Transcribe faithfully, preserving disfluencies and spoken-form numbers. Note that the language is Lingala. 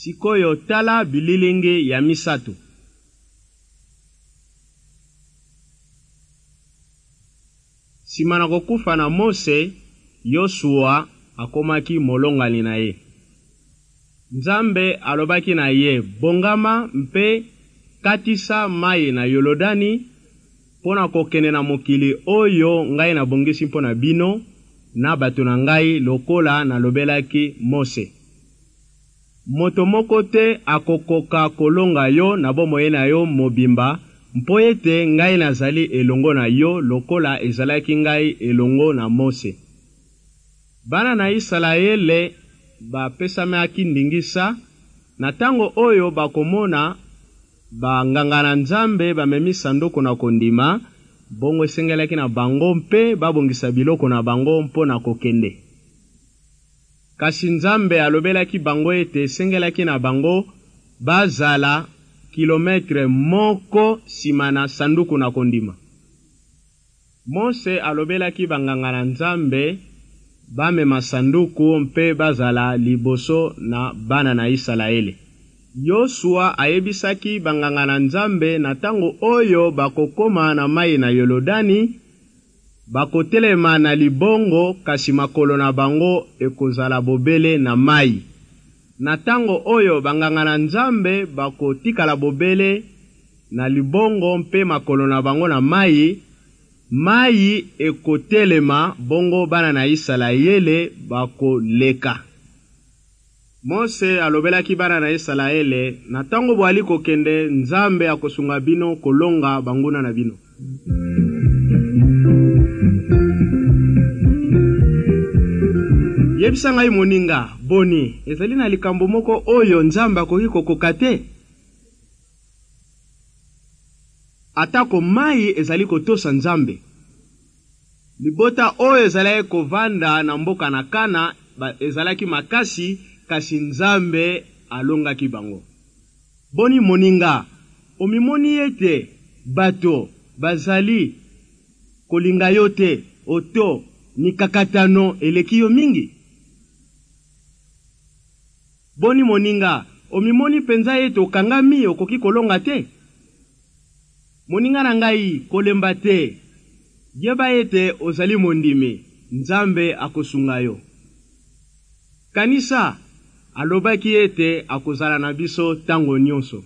Sikoyo tala bililingi ya misato. Nsima na kokufa na Mose, Yosua akomaki molongani na ye. Nzambe alobaki na ye: "Bongama mpe katisa mai na Yolodani mpo na kokende na mokili oyo ngai nabongisi mpo na bino na bato na ngai, lokola nalobelaki Mose. Moto moko te akokoka kolonga yo na bomoi na yo mobimba, mpo ete ngai nazali elongo na yo lokola ezalaki ngai elongo na Mose." Bana na Isalaele bapesamaki ndingisa na ntango oyo bakomona banganga na Nzambe bamemi sanduku na kondima, bongo esengelaki na bango mpe babongisa biloko na bango mpo na kokende. Kasi Nzambe alobelaki bango ete esengelaki na bango bazala kilometre moko nsima na sanduku na kondima. Mose alobelaki banganga na Nzambe bamema sanduku mpe bazala liboso na bana na Isalaele. Yosua ayebisaki banganga na Nzambe na ntango oyo bakokoma na mai na Yolodani, bakotelema na libongo, kasi makolo na bango ekozala bobele na mai. Na ntango oyo banganga na Nzambe bakotikala bobele na libongo mpe makolo na bango na mai, mai ekotelema, bongo bana na Isalaele bakoleka. Mose alobelaki bana na Isalaele: na ntango boali kokende, Nzambe akosunga bino kolonga banguna na bino. Yebisa ngai moninga, boni ezali na likambo moko oyo Nzambe akoki kokoka te? Atako mai ezali kotosa Nzambe. Libota oyo ezalaki kovanda na mboka na Kana ezalaki makasi, kasi Nzambe alongaki bango. Boni moninga, omimoni ete bato bazali kolinga yo te, oto mikakatano eleki yo mingi? Boni moninga, omimoni mpenza ete okangami, okoki kolonga te? Moninga na ngai, kolemba te. Yeba ete ozali mondimi, Nzambe akosunga yo. Kanisa, alobaki ete akozala na biso ntango nyonso.